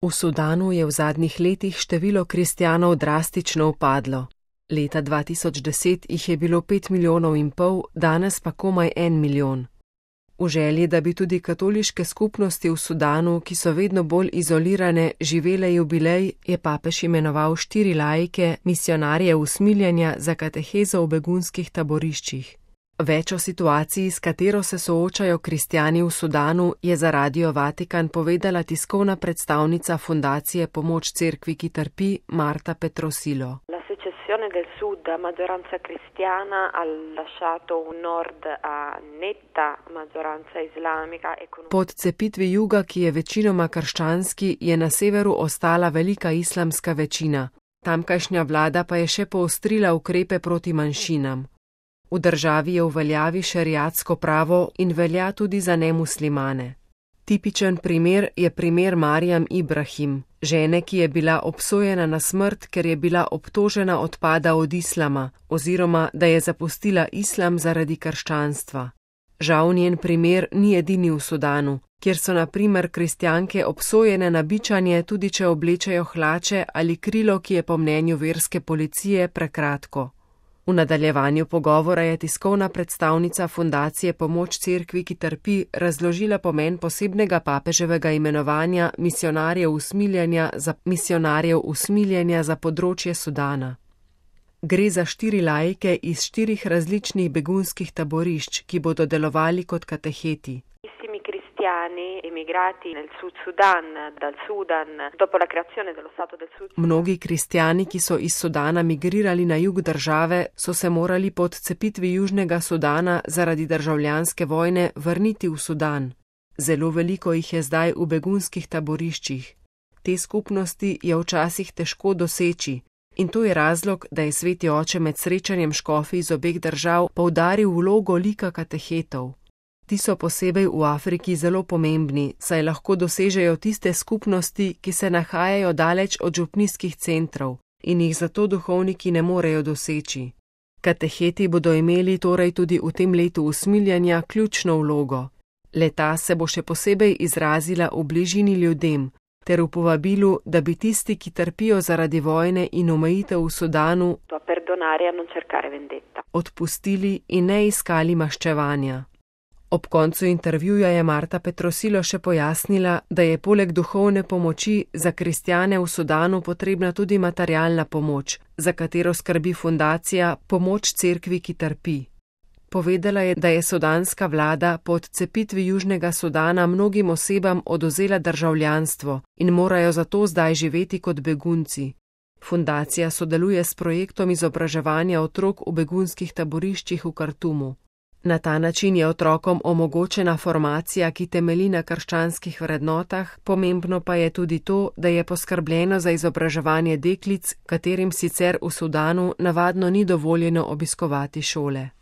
V Sudanu je v zadnjih letih število kristjanov drastično upadlo. Leta 2010 jih je bilo 5,5 milijona, danes pa komaj 1 milijon. V želji, da bi tudi katoliške skupnosti v Sudanu, ki so vedno bolj izolirane, živele jubilej, je papež imenoval 4 laike, misijonarje usmiljenja za katehezo v begunskih taboriščih. Več o situaciji, s katero se soočajo kristjani v Sudanu, je za Radio Vatikan povedala tiskovna predstavnica Fundacije Pomoč Cerkvi, ki trpi, Marta Petrosilo. La secessione del sud a maggioranza cristiana ha lasciato un nord a netta maggioranza islamica. Po odcepitvi juga, ki je večinoma krščanski, je na severu ostala velika islamska večina. Tamkajšnja vlada pa je še poostrila ukrepe proti manjšinam. V državi je v veljavi šeriatsko pravo in velja tudi za nemuslimane. Tipičen primer je primer Marijam Ibrahim, žene, ki je bila obsojena na smrt, ker je bila obtožena odpada od islama, oziroma da je zapustila islam zaradi krščanstva. Žal njen primer ni edini v Sudanu, kjer so na primer kristjanke obsojene na bičanje, tudi če oblečejo hlače ali krilo, ki je po mnenju verske policije prekratko. V nadaljevanju pogovora je tiskovna predstavnica Fundacije Pomoč Cerkvi, ki trpi, razložila pomen posebnega papeževega imenovanja misijonarjev usmiljenja za področje Sudana. Gre za 4 laike iz 4 različnih begunskih taborišč, ki bodo delovali kot kateheti. Emigrati nel Sud Sudan, dal Sudan, dopo la creazione dello Stato del Sud. Mnogi kristjani, ki so iz Sudana migrirali na jug države, so se morali po odcepitvi Južnega Sudana zaradi državljanske vojne vrniti v Sudan. Zelo veliko jih je zdaj v begunskih taboriščih. Te skupnosti je včasih težko doseči. In to je razlog, da je Sveti oče med srečanjem škofij iz obeh držav poudaril vlogo lika katehetov. Ti so posebej v Afriki zelo pomembni, saj lahko dosežejo tiste skupnosti, ki se nahajajo daleč od župnijskih centrov in jih zato duhovniki ne morejo doseči. Kateheti bodo imeli torej tudi v tem letu usmiljenja ključno vlogo. Le-ta se bo še posebej izrazila v bližini ljudem, ter v povabilu, da bi tisti, ki trpijo zaradi vojne in omejitev v Sudanu, odpustili in ne iskali maščevanja. Ob koncu intervjuja je Marta Petrosilo še pojasnila, da je poleg duhovne pomoči za kristjane v Sudanu potrebna tudi materialna pomoč, za katero skrbi fundacija Pomoč Cerkvi, ki trpi. Povedala je, da je sudanska vlada po odcepitvi Južnega Sudana mnogim osebam odvzela državljanstvo in morajo zato zdaj živeti kot begunci. Fundacija sodeluje s projektom izobraževanja otrok v begunskih taboriščih v Kartumu. Na ta način je otrokom omogočena formacija, ki temelji na krščanskih vrednotah, pomembno pa je tudi to, da je poskrbljeno za izobraževanje deklic, katerim sicer v Sudanu navadno ni dovoljeno obiskovati šole.